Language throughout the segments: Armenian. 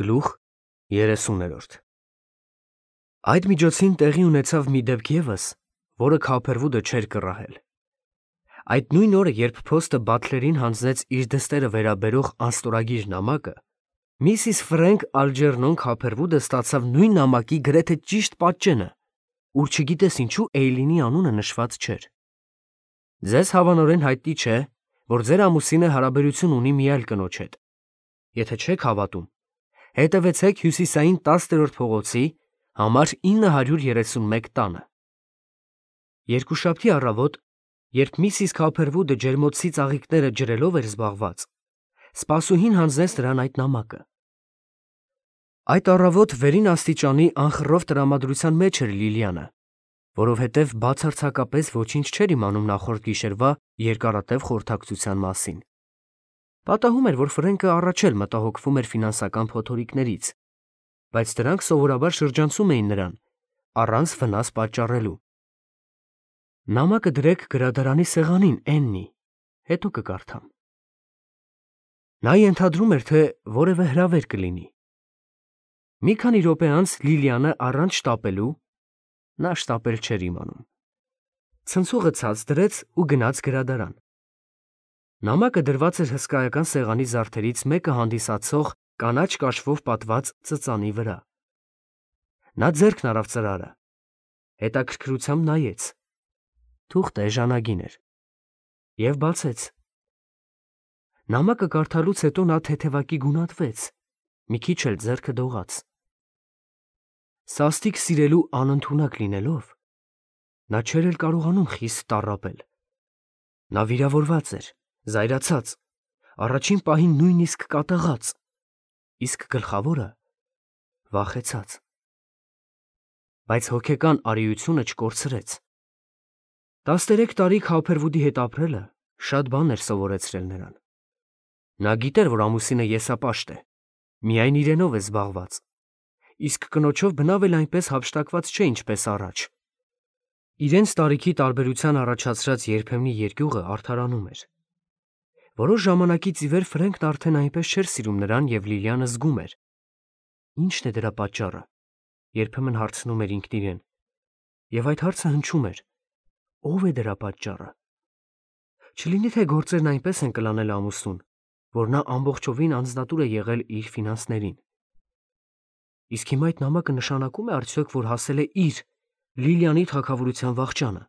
Գլուխ 30-րդ Այդ միջոցին տեղի ունեցավ մի դեպք ևս, որը Քոփերվուդը չէր կռահել։ Այդ նույն օրը, երբ փոստը Բաթլերին հանձնեց իր դստերը վերաբերող անստորագիր նամակը, Միսիս Ֆրենկ Ալջերնոն Քոփերվուդը ստացավ նույն նամակի գրեթե ճիշտ պատճենը, ուր չգիտես ինչու Էյլինի անունը նշված չէր։ Ձեզ հավանորեն հայտնի չէ, որ ձեր ամուսինը հարաբերություն ունի մի այլ կնոջ հետ։ Եթե չեք հավատում, հետևեցեք հյուսիսային 10-րդ փողոցի համար 931 տանը։ Երկուշաբթի առավոտ, երբ Միսիս Քոփերվուդը ջերմոցի ծաղիկները ջրելով էր զբաղված, սպասուհին հանձնեց նրան այդ նամակը։ Այդ առավոտ վերին աստիճանի անխռով տրամադրության մեջ էր Լիլիանը, որովհետև բացարձակապես ոչինչ չէր իմանում նախորդ գիշերվա երկարատև խորհրդակցության մասին։ Պատահում էր, որ Ֆրենկը առաջ էլ մտահոգվում էր ֆինանսական փոթորիկներից, բայց դրանք սովորաբար շրջանցում էին նրան, առանց վնաս պատճառելու։ Նամակը դրեք գրադարանի սեղանին, Էննի, հետո կկարդամ։ Նա ենթադրում էր, թե որևէ հրավեր կլինի։ Մի քանի րոպե անց Լիլիանը առանց շտապելու, նա շտապել չէր իմանում, ցնցուղը ցած դրեց ու գնաց գրադարան։ Նամակը դրված էր հսկայական սեղանի զարդերից մեկը հանդիսացող կանաչ կաշվով պատված ծծանի վրա։ Նա ձեռքն արավ ծրարը, հետաքրքրությամբ նայեց, թուղթը էժանագին էր, և բացեց։ Նամակը կարդալուց հետո նա թեթևակի գունատվեց, մի քիչ էլ ձեռքը դողաց։ Սաստիկ սիրելու անընդունակ լինելով, նա չէր էլ կարողանում խիստ տառապել։ Նա վիրավորված էր, զայրացած, առաջին պահին նույնիսկ կատաղած, իսկ գլխավորը վախեցած։ Բայց հոգեկան արիությունը չկորցրեց։ 13 տարի Քոփերվուդի հետ ապրելը շատ բան էր սովորեցրել նրան։ Նա գիտեր, որ ամուսինը եսապաշտ է, միայն իրենով է զբաղված, իսկ կնոջով բնավ էլ այնպես հափշտակված չէ, ինչպես առաջ։ Իրենց տարիքի տարբերության առաջացրած երբեմնի երկյուղը արդարանում էր։ Որոշ ժամանակից ի վեր Ֆրենկն արդեն այնպես չէր սիրում նրան, և Լիլիանը զգում էր։ Ի՞նչն է դրա պատճառը, երբեմն հարցնում էր ինքն իրեն, և այդ հարցը հնչում էր. ո՞վ է դրա պատճառը։ Չլինի թե գործերն այնպես են կլանել ամուսնուն, որ նա ամբողջովին անձնատուր է եղել իր ֆինանսներին։ Իսկ հիմա այդ նամակը նշանակում է արդյոք, որ հասել է իր, Լիլիանի թագավորության վախճանը։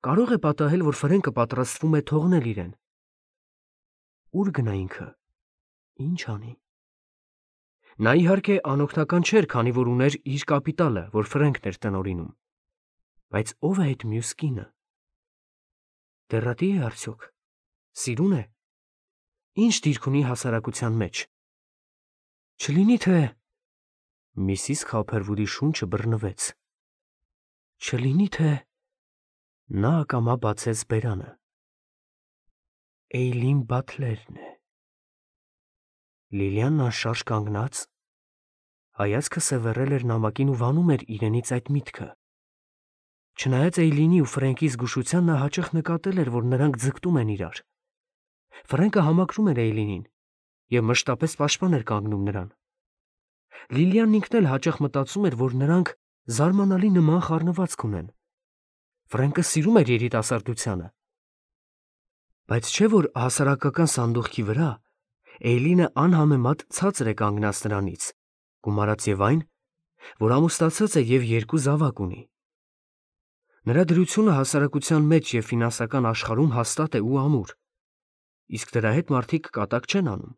Կարող է պատահել, որ Ֆրենկը պատրաստվում է թողնել իրեն։ Ուր գնա ինքը, ինչ անի։ Նա իհարկե անօգնական չէր, քանի որ ուներ իր կապիտալը, որ Ֆրենկն էր տնօրինում։ Բայց ո՞վ է այդ մյուս կինը։ Դեռատի՞ է արդյոք, սիրուն է։ Ինչ դիրք ունի հասարակության մեջ։ Չլինի թե… Միսիս Քոփերվուդի շունչը բռնվեց։ Չլինի թե… Նա ակամա բացեց բերանը։ Էյլին Բաթլերն է։ Լիլիանն անշարժ կանգնած, հայացքը սևեռել էր նամակին ու վանում էր իրենից այդ միտքը։ Չնայած Էյլինի ու Ֆրենկի զգուշության, նա հաճախ նկատել էր, որ նրանք ձգտում են իրար։ Ֆրենկը համակրում էր Էյլինին և մշտապես պաշտպան էր կանգնում նրան։ Լիլիանն ինքն էլ հաճախ մտածում էր, որ նրանք զարմանալի նման խառնվածք ունեն։ Ֆրենկը սիրում էր երիտասարդությանը։ Բայց չէ՞ որ հասարակական սանդուղքի վրա Էյլինը անհամեմատ ցածր է կանգնած նրանից, գումարած և այն, որ ամուսնացած է և 2 զավակ ունի։ Նրա դրությունը հասարակության մեջ և ֆինանսական աշխարհում հաստատ է ու ամուր, իսկ դրա հետ մարդիկ կատակ չեն անում։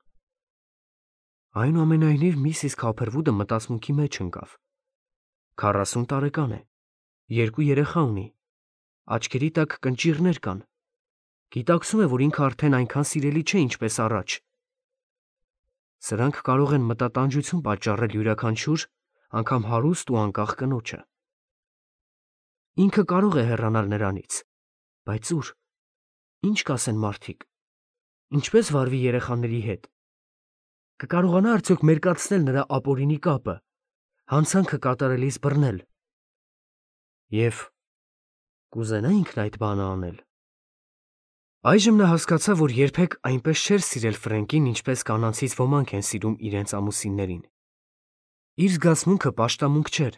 Այնուամենայնիվ, Միսիս Քոփերվուդը մտածմունքի մեջ ընկավ։ 40 տարեկան է, 2 երեխա ունի, աչքերի տակ կնճիռներ կան, գիտակցում է, որ ինքը արդեն այնքան սիրելի չէ, ինչպես առաջ։ Սրանք կարող են մտատանջություն պատճառել յուրաքանչյուր, անգամ հարուստ ու անկախ կնոջը։ Ինքը կարող է հեռանալ նրանից, բայց ուր։ Ինչ կասեն մարդիկ։ Ինչպես վարվի երեխաների հետ։ Կկարողանա արդյոք մերկացնել նրա ապօրինի կապը, հանցանքը կատարելիս բռնել։ Եվ կուզենա ինքն այդ բանը անել։ Այժմ նա հասկացավ, որ երբեք այնպես չէր սիրել Ֆրենկին, ինչպես կանանցից ոմանք են սիրում իրենց ամուսիններին։ Իր զգացմունքը պաշտամունք չէր։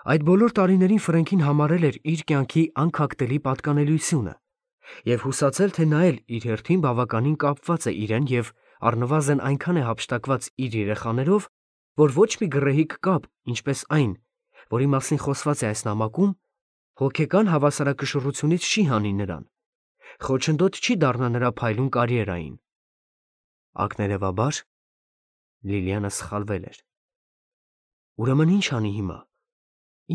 Այդ բոլոր տարիներին Ֆրենկին համարել էր իր կյանքի անքակտելի պատկանելիությունը և հուսացել, թե նա էլ իր հերթին բավականին կապված է իրեն և առնվազն այնքան է հափշտակված իր երեխաներով, որ ոչ մի գռեհիկ կապ, ինչպես այն, որի մասին խոսված է այս նամակում, հոգեկան հավասարակշռությունից չի հանի նրան, խոչընդոտ չի դառնա նրա փայլուն կարիերային։ Ակներևաբար Լիլիանը սխալվել էր։ Ուրեմն ինչ անի հիմա։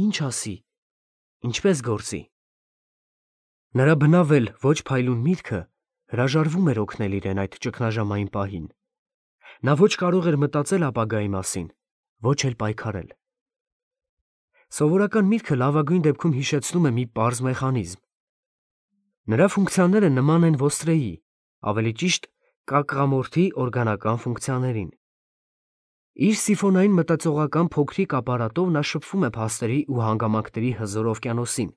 Ինչ ասի։ Ինչպես գործի։ Նրա բնավ էլ ոչ փայլուն միտքը հրաժարվում էր օգնել իրեն այդ ճգնաժամային պահին։ Նա ոչ կարող էր մտածել ապագայի մասին, ոչ էլ պայքարել։ Սովորական միտքը լավագույն դեպքում հիշեցնում է մի պարզ մեխանիզմ։ Նրա ֆունկցիաները նման են ոստրեի, ավելի ճիշտ կակղամորթի օրգանական ֆունկցիաներին։ Իր սիֆոնային մտածողական փոքրիկ ապարատով նա շփվում է փաստերի ու հանգամանքների հզոր օվկիանոսին,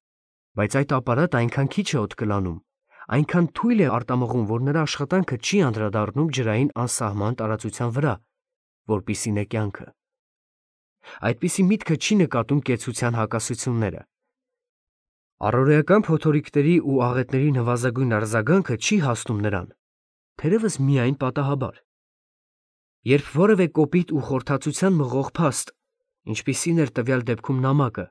բայց այդ ապարատը այնքան քիչ է օդ կլանում, այնքան թույլ է արտամղում, որ նրա աշխատանքը չի անդրադառնում ջրային անսահման տարածության վրա, որպիսին է կյանքը։ Այդպիսի միտքը չի նկատում կեցության հակասությունները։ Առօրեական փոթորիկների ու աղետների նվազագույն արձագանքը չի հասնում նրան, թերևս միայն պատահաբար։ Երբ որևէ կոպիտ ու խորթացության մղող փաստ, ինչպիսին էր տվյալ դեպքում նամակը,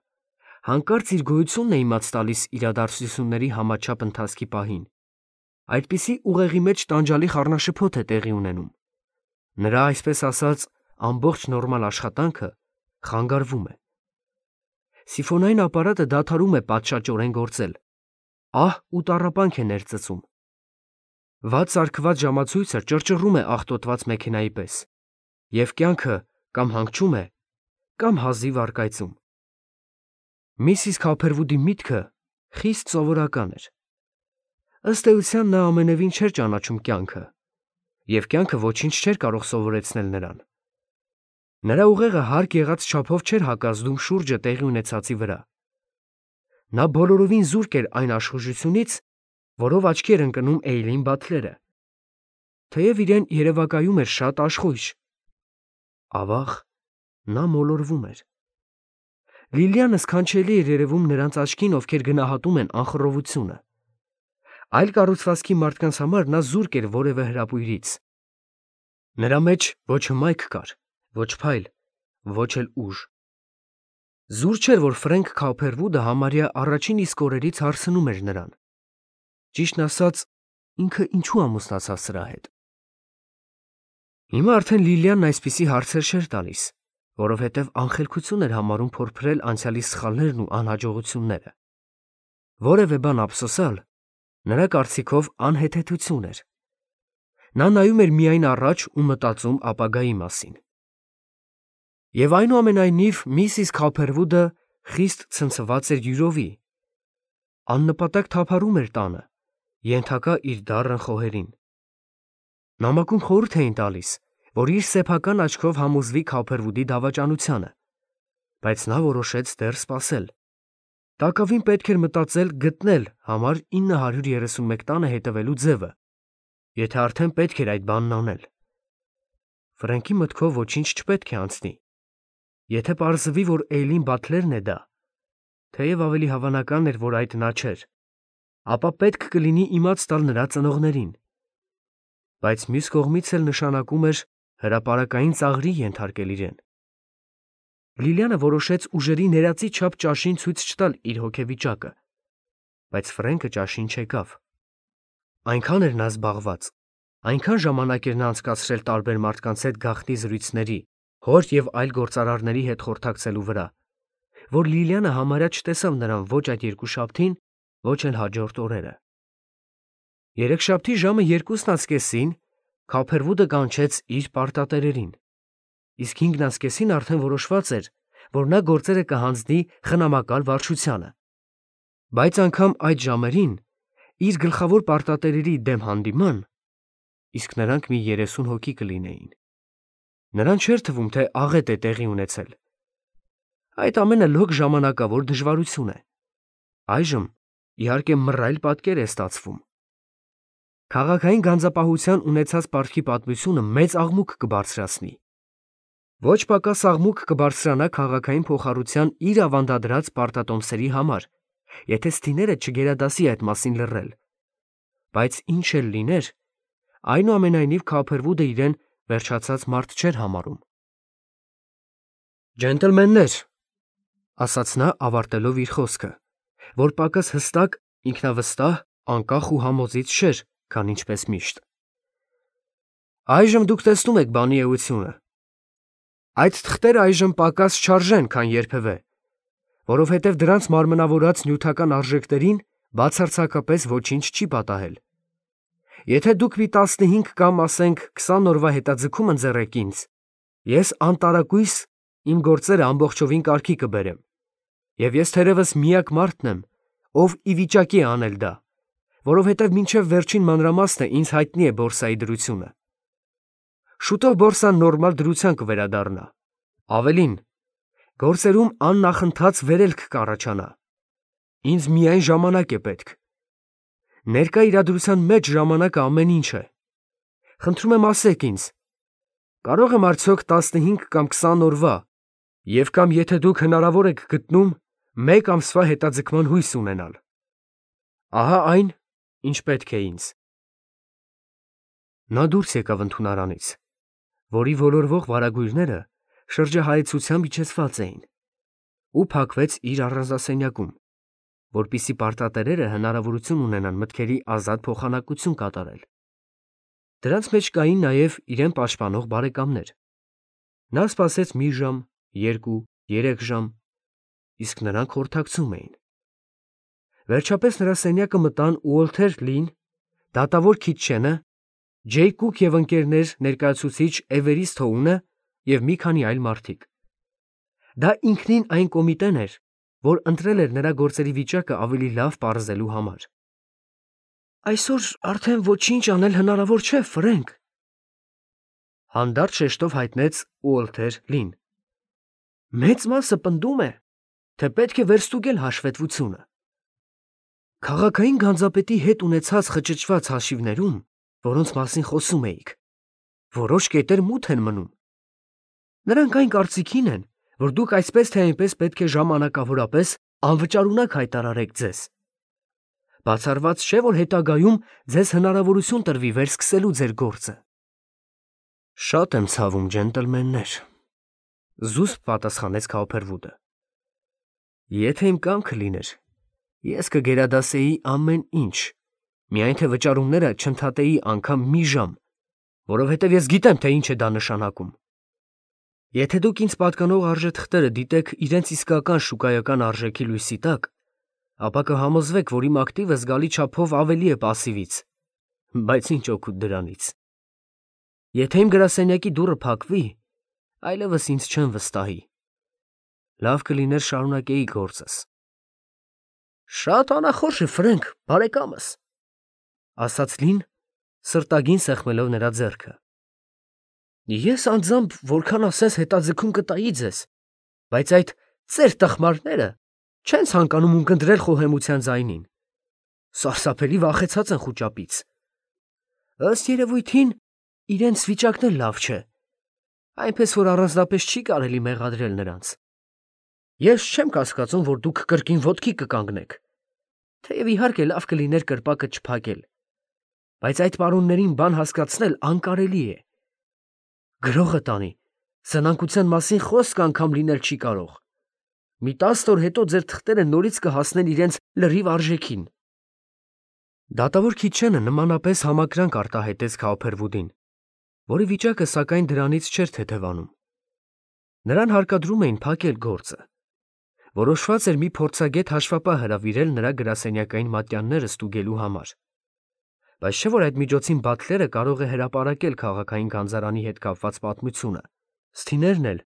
հանկարծ իր գոյությունն է իմաց տալիս իրադարձությունների համաչափ ընթացքի պահին, այդպիսի ուղեղի մեջ տանջալի խառնաշփոթ է տեղի ունենում։ Նրա, այսպես ասած, ամբողջ նորմալ աշխատանքը խանգարվում է։ Սիֆոնային ապարատը դադարում է պատշաճորեն գործել, ահ ու տառապանք է ներծծում։ Վատ սարքված ժամացույցը ճռճռում է աղտոտված մեքենայի պես, և կյանքը կամ հանգչում է, կամ հազիվ առկայծում։ Միսիս Քոփերվուդի միտքը խիստ սովորական էր։ Ըստ էության նա ամենևին չէր ճանաչում կյանքը, և կյանքը ոչինչ չէր կարող սովորեցնել նրան։ Նրա ուղեղը հարկ եղած չափով չէր հակազդում շուրջը տեղի ունեցածի վրա։ Նա բոլորովին զուրկ էր այն աշխուժությունից, որով աչքի էր ընկնում Էյլին Բաթլերը, թեև իրեն երևակայում էր շատ աշխույժ։ Ավաղ, նա մոլորվում էր։ Լիլիանը սքանչելի էր երևում նրանց աչքին, ովքեր գնահատում են անխռովությունը։ Այլ կառուցվածքի մարդկանց համար նա զուրկ էր որևէ հրապույրից։ Նրա մեջ ոչ հմայք կար, ոչ փայլ, ոչ էլ ուժ։ Զուր չէր, որ Ֆրենկ Քոփերվուդը համարյա առաջին իսկ օրերից հարցնում էր նրան։ Ճիշտն ասած, ինքը ինչու ամուսնացավ սրա հետ։ Հիմա արդեն Լիլիանն այսպիսի հարցեր չէր տալիս, որովհետև անխելքություն էր համարում փորփրել անցյալի սխալներն ու անհաջողությունները։ Որևէ բան ափսոսալ նրա կարծիքով անհեթեթություն էր։ Նա նայում էր միայն առաջ ու մտածում ապագայի մասին։ Եվ այնուամենայնիվ միսիս Քոփերվուդը խիստ ցնցված էր յուրովի։ Աննպատակ թափառում էր տանը, ենթակա իր դառն խոհերին։ Նամակում խորհուրդ էին տալիս, որ իր սեփական աչքով համոզվի Քոփերվուդի դավաճանությանը, բայց նա որոշեց դեռ սպասել։ Տակավին պետք էր մտածել գտնել համար 931 տանը հետևելու ձևը, եթե արդեն պետք էր այդ բանն անել։ Ֆրենկի մտքով ոչինչ չպետք է անցնի։ Եթե պարզվի, որ Էյլին Բաթլերն է դա, թեև ավելի հավանական էր, որ այդ նա չէր, ապա պետք կլինի իմաց տալ նրա ծնողներին։ Բայց մյուս կողմից էլ նշանակում էր հրապարակային ծաղրի ենթարկել իրեն։ Լիլիանը որոշեց ուժերի ներածի չափ ճաշին ցույց չտալ իր հոգեվիճակը, բայց Ֆրենկը ճաշին չեկավ։ Այնքան էր նա զբաղված, այնքան ժամանակ էր նա անցկացրել տարբեր մարդկանց հետ գաղտնի զրույցների, հոր և այլ գործարարների հետ խորհրդակցելու վրա, որ Լիլիանը համարյա չտեսավ նրան ոչ այդ երկուշաբթին, ոչ էլ հաջորդ օրերը։ Երեքշաբթի ժամը 2:30-ին Քոփերվուդը կանչեց իր պարտատերերին, իսկ 5:30-ին արդեն որոշված էր, որ նա գործերը կհանձնի խնամակալ վարչությանը։ Բայց անգամ այդ ժամերին իր գլխավոր պարտատերերի դեմ հանդիման, իսկ նրանք մի 30 հոգի կլինեին, նրան չէր թվում, թե աղետ է տեղի ունեցել։ Այդ ամենը լոկ ժամանակավոր դժվարություն է։ Այժմ, իհարկե, մռայլ պատկեր է ստացվում։ Քաղաքային գանձապահության ունեցած պարտքի պատմությունը մեծ աղմուկ կբարձրացնի։ Ոչ պակաս աղմուկ կբարձրանա քաղաքային փոխառության իր ավանդադրած պարտատոմսերի համար, եթե ստիները չգերադասի այդ մասին լռել։ Բայց ինչ էլ լիներ, այնուամենայնիվ Քոփերվուդը իրեն վերջացած մարդ չէր համարում։ Ջենտլմեններ, ասաց նա ավարտելով իր խոսքը, որ պակաս հստակ, ինքնավստահ, անկախ ու համոզիչ չէր, քան ինչպես միշտ։ Այժմ դուք տեսնում եք բանի էությունը։ Այդ թղթերը այժմ պակաս չարժեն, քան երբևէ, որովհետև դրանց մարմնավորած նյութական արժեքներին բացարձակապես ոչինչ չի պատահել։ Եթե դուք մի 15 կամ ասենք 20 օրվա հետաձգում ընձեռեք ինձ, ես անտարակույս իմ գործերը ամբողջովին կարգի կբերեմ, և ես թերևս միակ մարդն եմ, ով ի վիճակի է անել դա, որովհետև մինչև վերջին մանրամասնը ինձ հայտնի է բորսայի դրությունը։ Շուտով բորսան նորմալ դրության կվերադառնա։ Ավելին, գործերում աննախընթաց վերելք կառաջանա։ Ինձ միայն ժամանակ է պետք։ Ներկա իրադրության մեջ ժամանակը ամեն ինչ է։ Խնդրում եմ ասեք ինձ, կարող եմ արդյոք 15 կամ 20 օրվա, և կամ եթե դուք հնարավոր եք գտնում, 1 ամսվա հետաձգման հույս ունենալ։ Ահա այն, ինչ պետք է ինձ։ Նա դուրս եկավ ընդունարանից, որի ոլորվող վարագույրները շրջահայեցությամբ իջեցված էին, ու փակվեց իր առանձնասենյակում, որպեսզի պարտատերերը հնարավորություն ունենան մտքերի ազատ փոխանակություն կատարել։ Դրանց մեջ կային նաև իրեն պաշտպանող բարեկամներ։ Նա սպասեց մի ժամ, 2, 3 ժամ, իսկ նրանք խորհրդակցում էին։ Վերջապես նրա սենյակը մտան Ուոլթեր Լին, դատավոր Քիթչենը, Ջեյ Կուք և ընկերներ ներկայացուցիչ Էվերիստ Հոունը և մի քանի այլ մարդիկ։ Դա ինքնին այն կոմիտեն էր, որ ընտրել էր նրա գործերի վիճակը ավելի լավ պարզելու համար։ Այսօր արդեն ոչինչ անել հնարավոր չէ, Ֆրենկ, հանդարտ շեշտով հայտնեց Ուոլթեր Լին։ Մեծ մասը պնդում է, թե պետք է վերստուգել հաշվետվությունը։ Քաղաքային գանձապետի հետ ունեցած խճճված հաշիվներում, որոնց մասին խոսում էիք, որոշ կետեր մութ են մնում։ Նրանք այն կարծիքին են, որ դուք այսպես թե այնպես պետք է ժամանակավորապես անվճարունակ հայտարարեք ձեզ։ Բացառված չէ, որ հետագայում ձեզ հնարավորություն տրվի վերսկսելու ձեր գործը։ Շատ եմ ցավում, ջենտլմեններ, զուսպ պատասխանեց Քոփերվուդը։ Եթե իմ կամքը լիներ, ես կգերադասեի ամեն ինչ, միայն թե վճարումները չընդհատեի անգամ մի ժամ, որովհետև ես գիտեմ, թե ինչ է դա նշանակում։ Եթե դուք ինձ պատկանող արժեթղթերը դիտեք իրենց իսկական շուկայական արժեքի լույսի տակ, ապա կհամոզվեք, որ իմ ակտիվը զգալի չափով ավելի է պասիվից, բայց ինչ օգուտ դրանից։ Եթե իմ գրասենյակի դուռը փակվի, այլևս ինձ չեն վստահի։ Լավ կլիներ շարունակեի գործս։ Շատ անախորժ է, Ֆրենկ, բարեկամս, ասաց Լին, սրտագին սեղմելով նրա ձեռքը։ Ես անձամբ որքան ասես հետաձգում կտայի ձեզ, բայց այդ ծեր տխմարները չեն ցանկանում ունկնդրել խոհեմության ձայնին։ Սարսափելի վախեցած են խուճապից։ Ըստ երևույթին, իրենց վիճակն էլ լավ չէ, այնպես որ առանձնապես չի կարելի մեղադրել նրանց։ Ես չեմ կասկածում, որ դուք կրկին ոտքի կկանգնեք, թեև իհարկե լավ կլիներ կրպակը չփակել, բայց այդ պարոններին բան հասկացնել անկարելի է։ Գրողը տանի, սնանկության մասին խոսք անգամ լինել չի կարող։ Մի 10 օր հետո ձեր թղթերը նորից կհասնեն իրենց լրիվ արժեքին։ Դատավոր Քիթչենը նմանապես համակրանք արտահայտեց Քոփերվուդին, որի վիճակը սակայն դրանից չէր թեթևանում։ Նրան հարկադրում էին փակել գործը։ Որոշված էր մի փորձագետ հաշվապահ հրավիրել նրա գրասենյակային մատյանները ստուգելու համար։ Բայց չէ՞ որ այդ միջոցին Բաթլերը կարող է հրապարակել քաղաքային գանձարանի հետ կապված պատմությունը, ստիներն էլ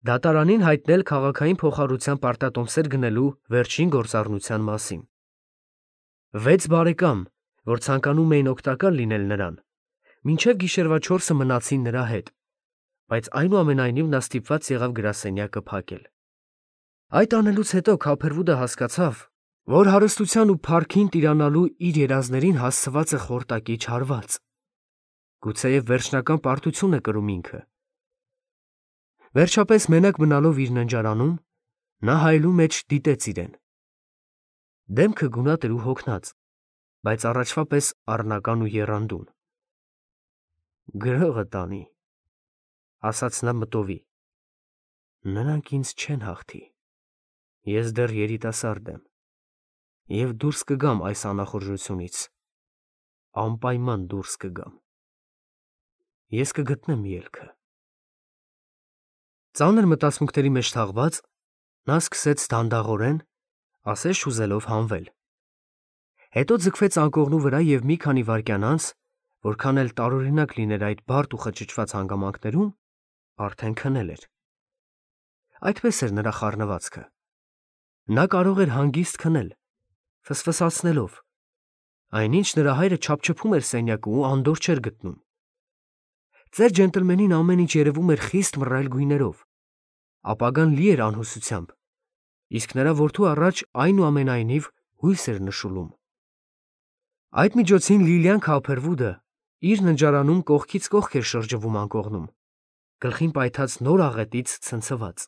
դատարանին հայտնել քաղաքային փոխառության պարտատոմսեր գնելու վերջին գործառնության մասին։ 6 բարեկամ, որ ցանկանում էին օգտակար լինել նրան, մինչև գիշերվա 4-ը մնացին նրա հետ, բայց այնուամենայնիվ նա ստիպված եղավ գրասենյակը փակել։ Այդ անելուց հետո Քոփերվուդը հասկացավ, որ հարստության ու փառքին տիրանալու իր երազներին հասցված է խորտակի չարված։ Գուցեև վերջնական պարտություն է կրում ինքը։ Վերջապես մենակ մնալով իր ննջարանում, նա հայելու մեջ դիտեց իրեն։ Դեմքը գունատ էր ու հոգնած, բայց առաջվա պես առնական ու եռանդուն։ Գրողը տանի, ասաց նա մտովի։ Նրանք ինձ չեն հաղթի։ Ես դեռ երիտասարդ եմ և դուրս կգամ այս անախորժությունից, անպայման դուրս կգամ։ Ես կգտնեմ ելքը։ Ծանր մտածմունքների մեջ թաղված, նա սկսեց դանդաղորեն, ասես չուզելով հանվել։ Հետո ձգվեց անկողնու վրա և մի քանի վայրկյան անց, որքան էլ տարօրինակ լիներ այդ բարդ ու խճճված հանգամանքներում, արդեն քնել էր։ Այդպես էր նրա խառնվածքը։ Նա կարող էր հանգիստ քնել, ֆսֆսացնելով։ Այնինչ նրա հայրը չափչփում էր սենյակը ու անդորր չէր գտնում։ Ծեր ջենտլմենին ամեն ինչ երևում էր խիստ մռայլ գույներով։ Ապագան լի էր անհուսությամբ, իսկ նրա որդու առաջ այնուամենայնիվ հույս էր նշուլում։ Այդ միջոցին Լիլիան Քափերվուդը իր ննջարանում կողքից կողք էր շրջվում անկողնում, գլխին պայթած նոր աղետից ցնցված։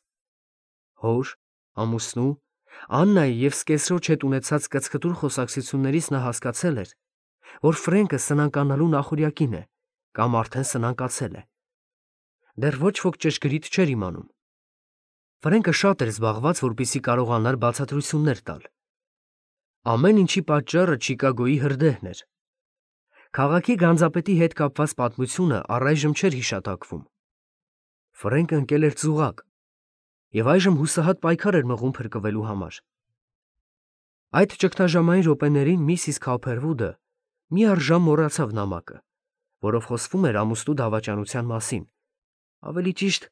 Հոր, ամուսնու, Աննայի և սկեսրոջ հետ ունեցած կծկտուր խոսակցություններից նա հասկացել էր, որ Ֆրենկը սնանկանալու նախօրյակին է կամ արդեն սնանկացել է։ Դեռ ոչ ոք ճշգրիտ չէր իմանում։ Ֆրենկը շատ էր զբաղված, որպեսզի կարողանար բացատրություններ տալ։ Ամեն ինչի պատճառը Չիկագոյի հրդեհն էր։ Քաղաքի գանձապետի հետ կապված պատմությունը առայժմ չէր հիշատակվում։ Ֆրենկը ընկել էր ծուղակ և այժմ հուսահատ պայքար էր մղում փրկվելու համար։ Այդ ճգնաժամային րոպեներին միսիս Քափերվուդը մի առժամ մոռացավ նամակը, որով խոսվում էր ամուսնու դավաճանության մասին, ավելի ճիշտ,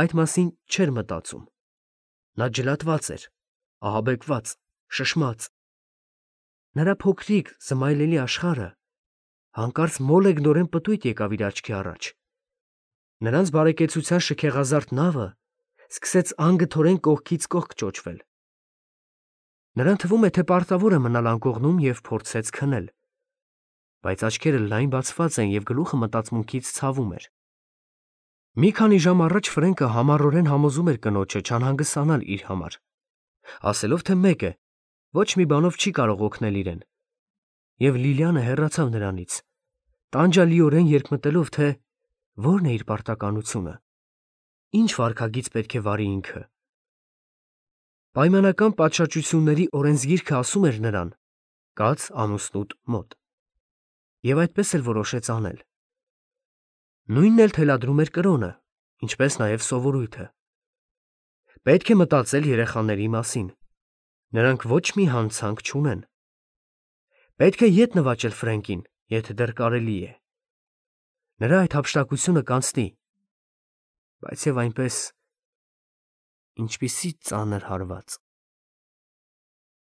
այդ մասին չէր մտածում։ Նա ջլատված էր, ահաբեկված, շշմած։ Նրա փոքրիկ, զմայլելի աշխարհը հանկարծ մոլեգնորեն պտույտ եկավ իր աչքի առաջ։ Նրանց բարեկեցության շքեղազարդ նավը սկսեց անգթորեն կողքից կողք ճոճվել։ Նրան թվում է, թե պարտավոր է մնալ անկողնում և փորձեց քնել, բայց աչքերը լայն բացված են և գլուխը մտածմունքից ցավում էր։ Մի քանի ժամ առաջ Ֆրենկը համառորեն համոզում էր կնոջը չանհանգստանալ իր համար, ասելով, թե մեկ է, ոչ մի բանով չի կարող օգնել իրեն, և Լիլիանը հեռացավ նրանից, տանջալիորեն երկմտելով, թե ո՞րն է իր պարտականությունը, ինչ վարքագիծ պետք է վարի ինքը։ Պայմանական պատշաճությունների օրենսգիրքը ասում էր նրան. կաց ամուսնուդ մոտ։ Եվ այդպես էլ որոշեց անել։ Նույնն էլ թելադրում էր կրոնը, ինչպես նաև սովորույթը։ Պետք է մտածել երեխաների մասին։ Նրանք ոչ մի հանցանք չունեն։ Պետք է ետ նվաճել Ֆրենկին, եթե դեռ կարելի է։ Նրա այդ հափշտակությունը կանցնի, բայց և այնպես, ինչպիսի ծանր հարված։